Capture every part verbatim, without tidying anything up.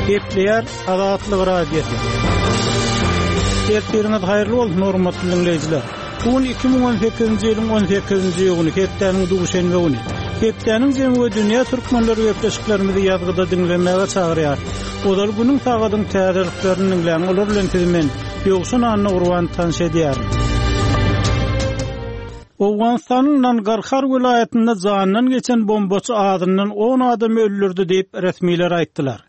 Gepleýär Azatlyk Radiosy. Ertiriňiz haýyrly bolsun, hormatly dinleýjiler. Bu gün iki müň on sekizinji ýylyň on sekizinji iýuny, hepdäniň duşenbe güni. Hepdäniň jemi we dünýä türkmenleri gepleşiklerimizi ýazgyda diňlemäge çagyrýar. Ozal günüň sagadyň täzeliklerini diňläň, olar bilen sizi men Ýowşan Anna Gurban tanyş edýärin. Owganystanyň Nangarhar welaýatynda jandan geçen bombaçy azyndan on adam öldürdi diýip resmiler aýtdylar.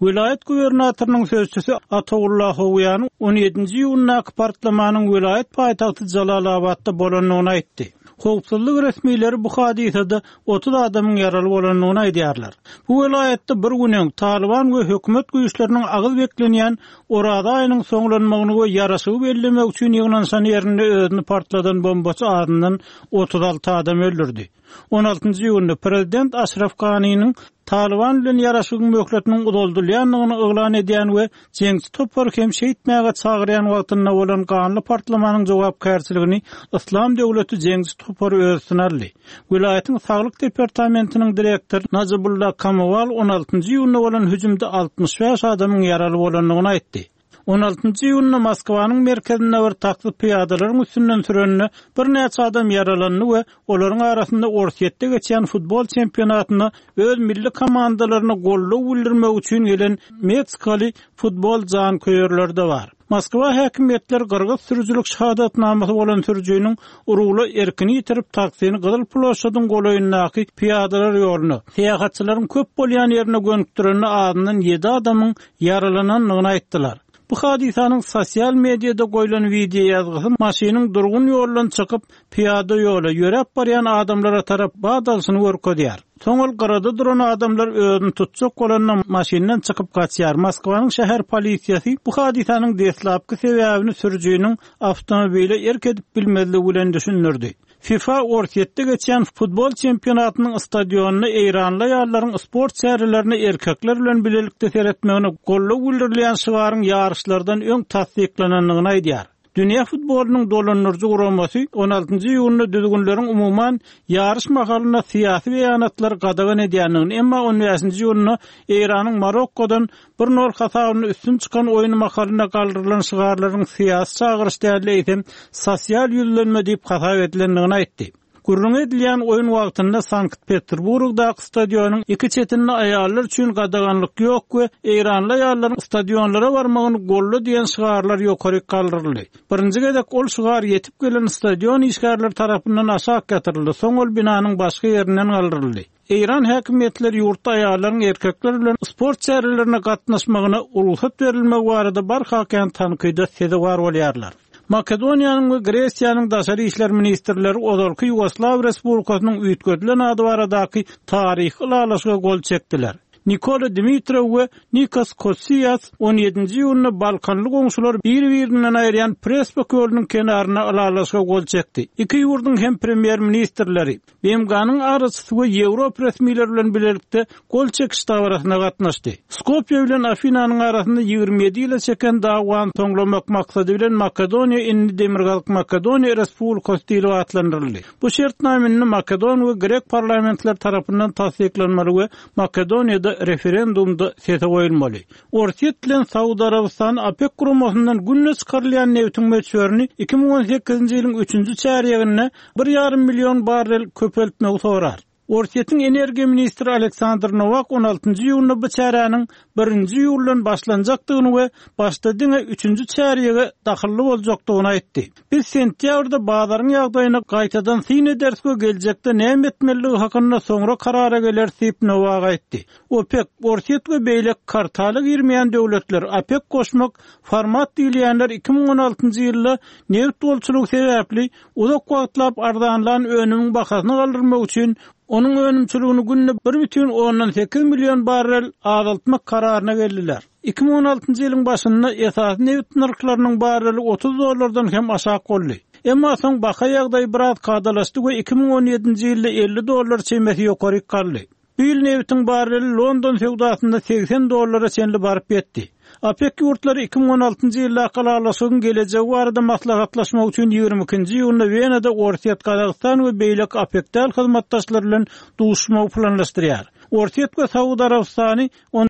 Welaýat gubernatorynyň sözçüsi Atawullah Howýan on ýedinji iýundaky partlamanyň welaýat paýtagty Jalalabatda bolandygyny aýtdy. Howpsuzlyk resmileri bu hadysada otuz adamyň ýaraly bolandygyny aýdýarlar. Bu welaýatda bir gün öň Taliban we hökümet güýçleriniň agyz beklenýän Oraza aýynyň soňlanmagyny we ýaraşygy bellemek üçin ýygnanşan ýerinde özüni partladan bombaçy azyndan otuz alty adam öldürdi. On altynjy iýunda prezident Aşraf Ganiniň Taliban bilen ýaraşygyň möhletiniň uzaldylýandygyny yglan edýän we jeňçi topary hem şeýtmäge çagyrýan wagtynda bolan ganly partlamanyň jogapkärçiligini Islam döwleti jeňçi topary öz üstüne aldy. Welaýatyň saglyk departamentiniň direktory Najibullah Kamowal on altynjy iýunda bolan hüjümde altmyş bäş adamyň ýaraly bolandygyny aýtdy. On altynjy iýunda Moskwanyň merkezinde bir taksi pyýadalaryň üstünden sürende birnäçe adam ýaralandy we olaryň arasynda Orsýetde geçýän futbol çempionatynda öz milli komandalaryna goldaw bildirmek üçin gelen Meksikaly futbol janköýerleri de bar. Moskwa häkimiýetleri Gyrgyz sürüjilik şahadatnamasy bolan sürüjiniň urugla erkini ýitirip taksini Gyzyl Ploşadyň golaýyndaky pyýadalar ýoluna, syýahatçylaryň köp bolýan ýerine gönükdirende azyndan ýedi adamyň ýaralanandygyny aýtdylar. Bu hadysanyň sosial mediada goýlan video ýazgysy maşynyň durgun ýoldan çykyp pyýada ýola ýöräp barýan adamlara tarap badalsyny görkezýär. Soň ol gyrada duran adamlar özüni tutjak bolanda maşyndan çykyp gaçýar. Moskwanyň şäher polisiýasy bu hadysanyň deslapky sebäbini sürüjiniň awtomobile erk edip bilmezligi bilen düşündirdi. FIFA Orsýetde geçýän futbol çempionatynyň stadionynda Eýranly aýallaryň sport çärelerini erkekler bilen bilelikde seretmegine goldaw bildirilýän şygaryň ýaryşlardan öň tassyklanandygyny aýdýar. Dünýä futbolunyň dolandyryjy guramasy on altynjy iýunda düzgünleriň umuman ýaryş mahalynda syýasy beýanatlar gadagan edýändigini, emma on bäşinji iýunda Eýranyň Marokkodan bir nol hasabyna üstün çykan oýun mahalynda galdyrylan şygarlaryň syýasy çagyryş däl eýsem sosial ýüzlenme diýip hasap edilendigini aýtdy. Gürrüň edilýän oýun wagtynda Sankt-Peterburgdaky stadionyň iki çetinde aýallar üçin gadaganlyk ýok we Eýranly aýallaryň stadionlara barmagyny golda diýen şygarlar ýokary galdyryldy. Birinji gezek ol şygar ýetip gelen stadion işgärleri tarapyndan aşak ýatyryldy, soň ol binanyň başga ýerinden galdyryldy. Eýran häkimiýetleri ýurtda aýallaryň erkekler bilen sport çärelerine gatnaşmagyna rugsat berilmegi barada barha kän tankyda sezewar bolýarlar. Makedoniýanyň we Gresiýanyň daşary işler ministrleri ozalky Ýugoslaw Respublikasynyň üýtgedilen ady baradaky taryhy ylalaşyga gol çekdiler. Nikola Dimitrov we Nikos Kosias on ýedinji iýunda Balkanly goňşular bir-birinden aýyrýan Prespa kölüniň kenaryna ylalaşyga gol çekdi. Iki ýurduň hem premýer-ministrleri B M G-nyň araçysy we Ýewropa resmileri bilen bilelikde gol çekiş dabarasyna gatnaşdy. Skopje bilen Afinanyň arasynda ýigrimi ýedi ýyla çeken dawany soňlamak maksady bilen Makedoniýa indi Demirgazyk Makedoniýa Respublikasy diýlip atlandyryldy. Bu şertname indi Makedon we Grek parlamentleri tarapyndan tassyklanmaly we Makedoniýada referendumda sese goýulmaly. Orsýet bilen Saud Arabystany OPEC guramasyndan günde çykarylýan nebitiň möçberini iki müň on sekizinji ýylyň üçünji çärýeginde bir ýarym milyon barrel köpeltmegi sorar. Orsýetiň energiýa ministri Aleksandr Nowak on altynjy iýunda bu çäräniň birinji iýuldan başlanjakdygyny we başda diňe üçünji çärýege dahylly boljakdygyny aýtdy. Biz sentýabrda bazaryň ýagdaýyny gaýtadan syn ederis we geljekde näme etmelidigi hakynda soňra karara geler diýip Nowak aýtdy. OPEC, Orsýet we beýleki kartala girmeýän döwletler OPEC goşmak format diýilýänler iki müň on altynjy ýylda nebit bolçulygy sebäpli uzak wagtlap arzanlan önümiň bahasyny galdyrmak üçin onuň önümçiligini günde bir bütin ondan sekiz milyon barrel azaltmak kararyna geldiler. Iki müň on altynjy ýylyň başynda esasy nebit nyrhlarynyň barreli otuz dollardan hem aşak boldy. Emma soň baha ýagdaýy biraz kadalaşdy we iki müň on ýedinji ýylda elli dollar çemesi ýokary galdy. Bu ýyl nebitiň barreli London söwdasynda segsen dollara çenli baryp ýetdi. OPEC ýurtlary iki müň on altynjy ýylda ylalaşygyň gelejegi barada maslahatlaşmak üçin ýigrimi ikinji iýunda Wenada Orsýet, Gazagystan we beýleki OPEC däl hyzmatdaşlar bilen duşuşmagy planlaşdyrýar. Orsýet we Saud Arabystany on